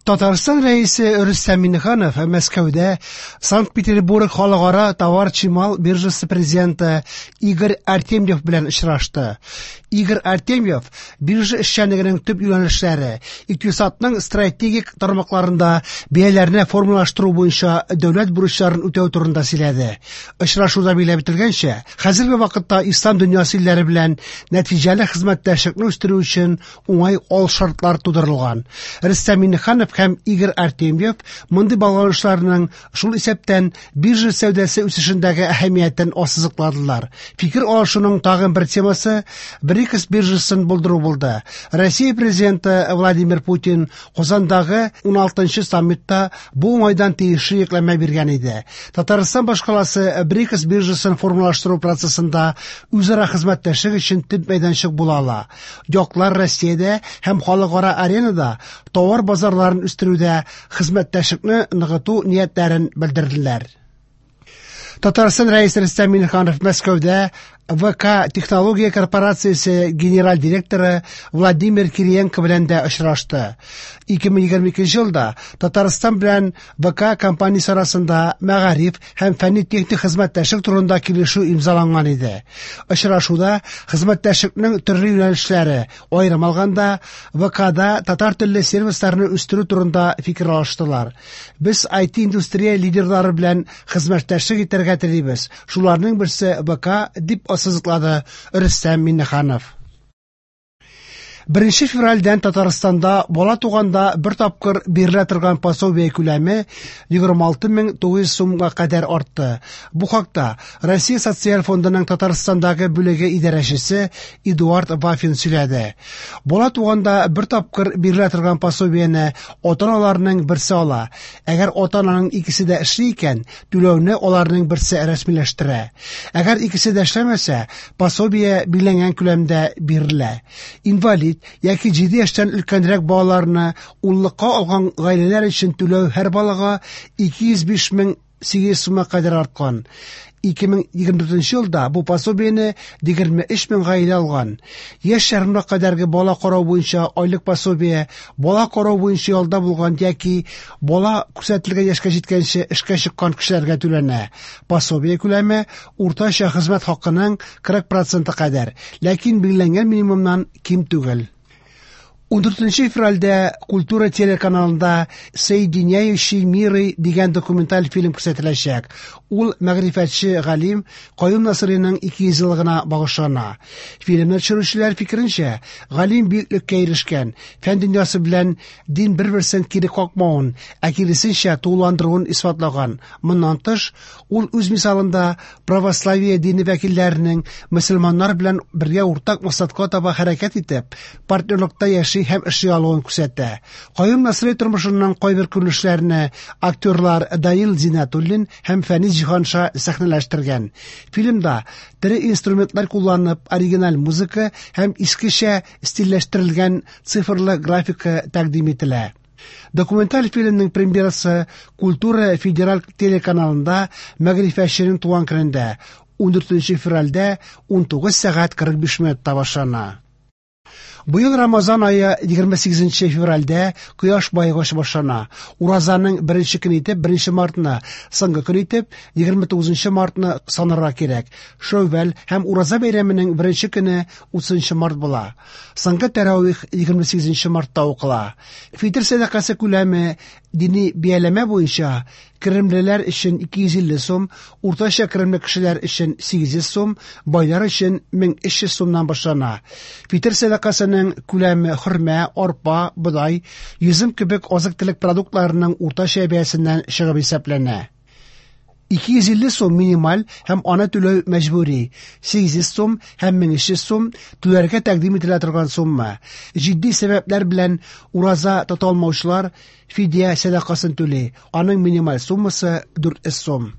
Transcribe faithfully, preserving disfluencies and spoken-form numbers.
Татарстан Рәисе Рөстәм Миңнеханов Мәскәүдә Санкт-Петербург халыкара товар чимал биржасы президенты Игорь Артемьев белән очрашты. Игорь Артемьев биржа эшчәнлегенең төп юнәлешләре, икътисадның стратегик тармакларында бәяләрне формалаштыру буенча дәүләт бурычларын үтәү турында сөйләде. Очрашуда билгеләп үтелгәнчә, хәзерге вакытта ислам дөньясы илләре белән нәтиҗәле хезмәттәшлекне үстерү өчен уңай алшартлар тудырылган. Рөстәм Миңнеханов һәм Игорь Артемьев мондый багланышларның, шул исәптән биржа сәүдәсе үсешендәге әһәмиятен ассызыкладылар. Фикер алышуның тагын бер темасы БРИКС биржасын булдыру булды. Россия президенты Владимир Путин Казандагы уналтынчы саммитта бу уңайдан тиешле йөкләмә биргән иде. Татарстан башкаласы БРИКС биржасын формалаштыру процессында үзара хезмәттәшлек өчен төп мәйданчык була ала. Яклар Россиядә һәм халыкара аренада товар базарларын үстерүдә хезмәттәшлекне ныгыту ниятләрен белдерделәр. Татарстан Рәисе Рөстәм Миңнеханов Мәскәүдә ВК технология корпорациясе генераль директоры Владимир Кириенко белән дә очрашты. ике мең егерме икенче елда Татарстан белән ВК компаниясе арасында мәгариф һәм фәнни-техник хезмәттәшлек турында килешү имзаланган иде. Очрашуда хезмәттәшлекнең төрле юнәлешләре, аерым алганда ВКда татар телле сервисларны үстерү турында фикер алыштылар. Без ай ти индустрия лидерлары белән хезмәттәшлек итәргә телибез. Шуларның берсе ВК дип ассызыклады Рөстәм Миңнеханов. Беренче февральдән Татарстанда бала туганда бер тапкыр бирелә торган пособие күләме егерме алты мең тугыз йөз сумга кадәр артты. Бу хакта Россия Социаль фондының Татарстандагы бүлеге идарәчесе Эдуард Вафин сөйләде. Бала туганда бер тапкыр бирелә торган пособиене ата-аналарның берсе ала. Әгәр ата-ананың икесе дә эшли икән, түләүне аларның берсе рәсмиләштерә. Әгәр икесе дә эшләмәсә, пособие билгеләнгән күләмдә бирелә. Инвалид яки җиде яшьтән өлкәнрәк балаларны уллыкка алган гаиләләр өчен түләү һәр балага ике йөз биш мең сигез йөз сумга кадәр арткан. Ике мең егерме дүртенче елда бу пособиене егерме өч мең гаилә алган. Яшь ярымга кадәрге бала карау буенча айлык пособие бала карау буенча ялда булган яки бала күрсәтелгән яшькә җиткәнче эшкә чыккан кешеләргә түләнә. Пособие күләме уртача хезмәт хакының кырык проценты кадәр, ләкин билгеләнгән минимумнан ким түгел. Ундүртенче февральдә Культура телеканалында Соединяющий миры дигән документаль фильм күрсәтеләчәк. Ул мәгърифәтче галим Каюм Насыйриның ике йөз еллыгына багышлана. Фильмны төшерүчеләр фикеренчә, галим бөеклеккә ирешкән, фән дөньясы белән дин бер-берсен кире какмавын, ә киресенчә тулыландыруын исбатлаган. Моннан тыш, ул үз мисалында православие дине вәкилләренең мөселманнар белән бергә уртак максатка таба хәрәкәт итеп, партнерлыкта яши һәм эшли алуын күрсәтә. Каюм Насыйри тормышының кайбер күренешләрен актерлар Данил Зиннәтуллин һәм Фәнис Җиһанша сәхнәләштергән. Фильмда тере инструментлар кулланып, оригиналь музыка һәм искечә стильләштерелгән цифрлы графика тәкъдим ителә. Документаль фильмның премьерасы Культура федераль телеканалында мәгърифәтченең туган көнендә ундүртенче февральдә унтугыз сәгать кырык биш минутта башлана. Быел Рамазан ае егерме сигезенче февральдә кояш байыгыш башлана. Уразаның беренче көне итеп беренче мартны, соңгы көн итеп егерме тугызынчы мартны санарга кирәк. Шәүвәл һәм Ураза бәйрәменең беренче көне утызынчы март була. Соңгы тәравих егерме сигезенче мартта укыла. Фитр сәдакасы күләме дини бияләмә буенча керемлеләр өчен ике йөз илле сум, уртача керемле кешеләр өчен сигез йөз сум, байлар өчен мең өч йөз сумнан башлана. Фитр сәдакасының күләме хөрмә, арпа, бодай, йөзем кебек азык-төлек продуктларының уртача бәясеннән чыгып исәпләнә. Ике йөз илле сум минималь һәм аны түләү мәҗбүри. Сигез йөз сум һәм мең өч йөз сум түләргә тәкъдим ителә торган сумма. Җитди сәбәпләр белән ураза тота алмаучылар фидия сәдакасын түли. Аның минималь суммасы дүрт йөз сум.